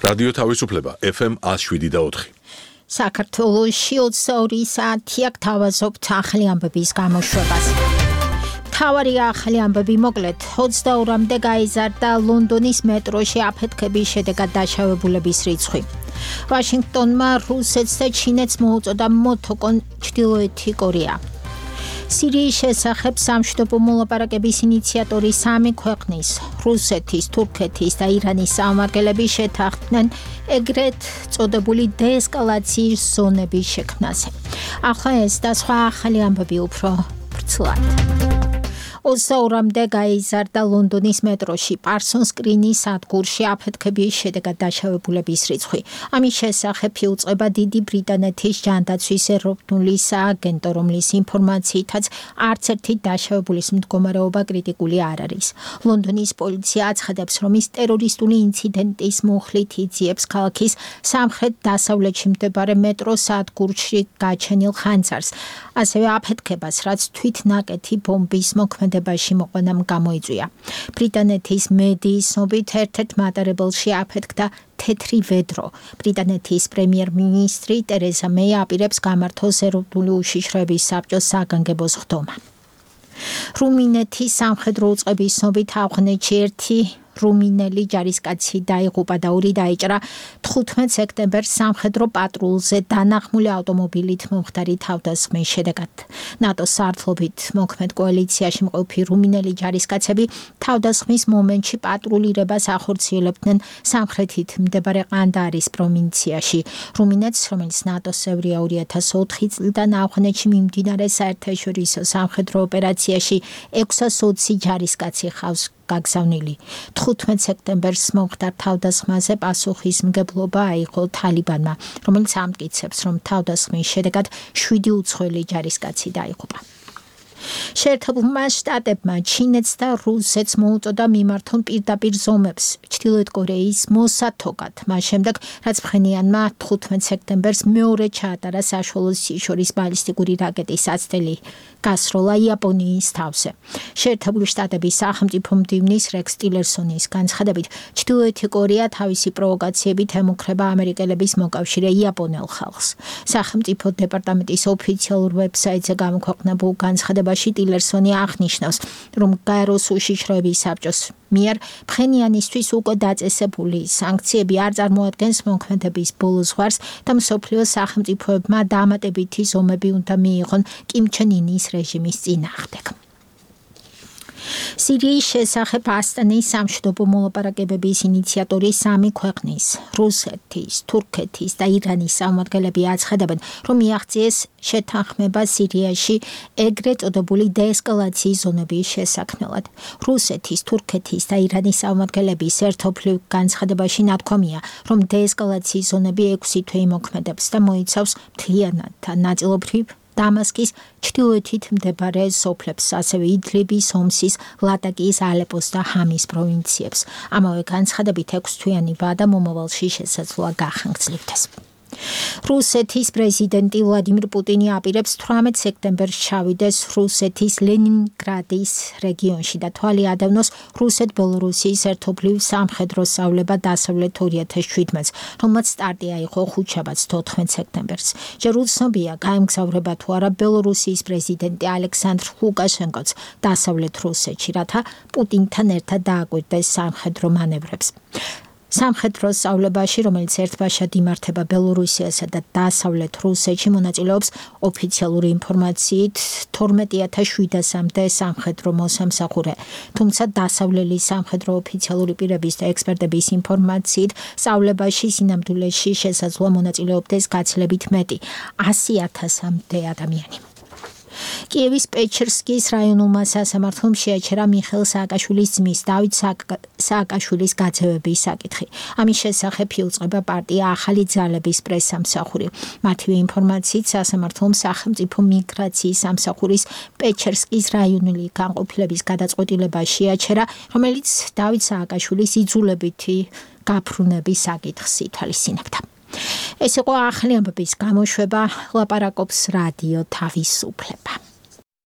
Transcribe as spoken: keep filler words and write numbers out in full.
რადიო თავისუფლება ეფ ემ one oh seven და four. საქართველოში ოცდაორი საათი აქ თავაზობთ ახალი ამბების გამოშვებას. თავარი ახალი ამბები მოკლედ ოცდაორამდე გაიზარდა ლონდონის მეტროში აფეთქების შედეგად დაშავებულების რიცხვი. ვაშინგტონმა რუსეთს და ჩინეთს მოუწოდა მოთოკონ ჩრდილოეთი კორეა. სირიის შესახებ სამშვიდობო მოლაპარაკების ინიციატორი სამი ქვეყნის რუსეთის, თურქეთის და ირანის წარმომადგენლები შეთანხმდნენ ეგრეთ წოდებული დეესკალაციის ზონების შექმნაზე. ახლა ეს და სხვა ახალი ამბები უფრო ვრცლად. ოცდაორამდე გაიზარდა ლონდონის მეტროში პარსონს კრინის სადგურში აფეთქების შედეგად დაშავებულების რიცხვი. ამის შესახებ იუწყება დიდი ბრიტანეთის ჯანდაცვის ეროვნული სააგენტო, რომლის ინფორმაციითაც არც ერთი დაშავებულის მდგომარეობა კრიტიკული არ არის. ლონდონის პოლიცია აცხადებს, რომ ის ტერორისტული ინციდენტის მუხლით იძიებს ქალაქის სამხრეთ-დასავლეთში მდებარე მეტროს სადგურში გაჩენილ ხანძარს, ასევე აფეთქებას, რაც თვითნაკეთი ბომბის მოქმედებაში მოყვანამ გამოიწვია. ბრიტანეთის მედიის ცნობით ერთ-ერთ მატარებელში აფეთქდა თეთრი ვედრო. ბრიტანეთის პრემიერ-მინისტრი ტერეზა მეი აპირებს გამართოს ეროვნული უშიშროების საბჭოს საგანგებო სხდომა. რუმინეთის სამხედრო უწყების ცნობით ავღანეთში ერთი რუმინელი ჯარისკაცი დაიღუპა და ორი დაიჭრა თხუთმეტ სექტემბერს სამხედრო პატრულზე დანახმული ავტომობილით მომხდარი თავდასხმის შედეგად. ნატოს სარდლობით მოქმედ კოალიციაში მყოფი რუმინელი ჯარისკაცები თავდასხმის მომენტში პატრულირებას ახორციელებდნენ სამხრეთით მდებარე ყანდაარის პროვინციაში. რუმინეთს, რომელიც ნატოს წევრია ორი ათას ოთხი წლიდან ავღანეთში მიმდინარე საერთაშორისო სამხედრო ოპერაციაში ექვსას ოცი ჯარისკაცი ხავს გაგზავნილი. თხუთმეტ სექტემბერს მომხდარ თავდასხმაზე პასუხისმგებლობა აიღო თალიბანმა, რომელიც ამტკიცებს, რომ თავდასხმის შედეგად შვიდი უცხოელი ჯარისკაცი დაიღუპა. შეერთებულმა შტატებმა ჩინეთს და რუსეთს მოუწოდა მიმართონ პირდაპირ ზომებს ჩრდილოეთ კორეის მოსათოკად, მას შემდეგ, რაც ფხენიანმა თხუთმეტ სექტემბერს მეორე ჩაატარა საშუალო სიშორის ბალისტიკური რაკეტის აცდელი გასროლა იაპონიის თავზე. შეერთებული შტატების სახელმწიფო მდივნის რექს ტილერსონის განცხადებით, ჩრდილოეთი კორეა თავისი პროვოკაციებით ემუქრება ამერიკელების მოკავშირე იაპონელ ხალხს. სახელმწიფო დეპარტამენტის ოფიციალურ ვებსაიტზე გამოქვეყნებულ განცხადებაში ტილერსონი აღნიშნავს, რომ გაეროს უშიშროების საბჭოს მიერ ფხენიანისთვის უკვე დაწესებული სანქციები არ წარმოადგენს მოქმედების ბოლო ზღვარს და მსოფლიოს სახელმწიფოებმა დამატებითი ზომები უნდა მიიღონ კიმ ჩენ ინის რეჟიმის წინააღმდეგ. სირიის შესახებ ასტანის სამშვიდობო მოლაპარაკებების ინიციატორი სამი ქვეყნის რუსეთის, თურქეთის და ირანის წარმომადგენლები აცხადებენ, რომ მიაღწიეს შეთანხმება სირიაში ეგრეთ წოდებული დეესკალაციის ზონების შესაქმნელად. რუსეთის, თურქეთის და ირანის წარმომადგენლების ერთობლივ განცხადებაში ნათქვამია, რომ დეესკალაციის ზონები ექვსი თვე იმოქმედებს და მოიცავს მთლიანად და ნაწილობრივ დამასკის ჩრდილოეთით მდებარე სოფლებს, ასევე იდლიბის, ჰომსის, ლატაკიის, ალეპოს და ჰამის პროვინციებს. ამავე განცხადებით ექვსთვიანი ვადა მომავალში შესაძლოა გახანგრძლივდეს. რუსეთის პრეზიდენტი ვლადიმირ პუტინი აპირებს თვრამეტ სექტემბერს ჩავიდეს რუსეთის ლენინგრადის რეგიონში და თვალი ადევნოს რუსეთ-ბელორუსიის ერთობლივ სამხედრო სწავლება დასავლეთ ორი ათას შვიდმეტს, რომელმაც სტარტი აიღო ხუთშაბათს თოთხმეტ სექტემბერს. ჯერ უცნობია გაემგზავრება თუ არა ბელორუსიის პრეზიდენტი ალექსანდრ ლუკაშენკოც დასავლეთ რუსეთში, რათა პუტინთან ერთად დააკვირდეს სამხედრო მანევრებს. სამხედრო სწავლებაში, რომელიც ერთბაშად იმართება ბელორუსიასა და დასავლეთ რუსეთში, მონაწილეობს ოფიციალური ინფორმაციით თორმეტი ათას შვიდასამდე სამხედრო მოსამსახურე. თუმცა დასავლელი სამხედრო ოფიციალური პირების და ექსპერტების ინფორმაციით, სწავლებაში სინამდვილეში შესაძლოა მონაწილეობდეს გაცილებით მეტი, ასი ათასამდე ადამიანი. კიევის პეჩერსკის რაიონულმა სასამართლომ შეაჩერა მიხეილ სააკაშვილის ძმის დავით სააკაშვილის გაძევების საკითხი. ამის შესახებ იუწყება პარტია ახალი ძალების პრესსამსახური. მათივე ინფორმაციით სასამართლომ სახელმწიფო მიგრაციის სამსახურის პეჩერსკის რაიონული განყოფილების გადაწყვეტილება შეაჩერა, რომელიც დავით სააკაშვილის იძულებითი გაფრუნების საკითხს ითვალისწინებდა. ეს იყო ახალი ამბების გამოშვება, ლაპარაკობს რადიო თავისუფლება.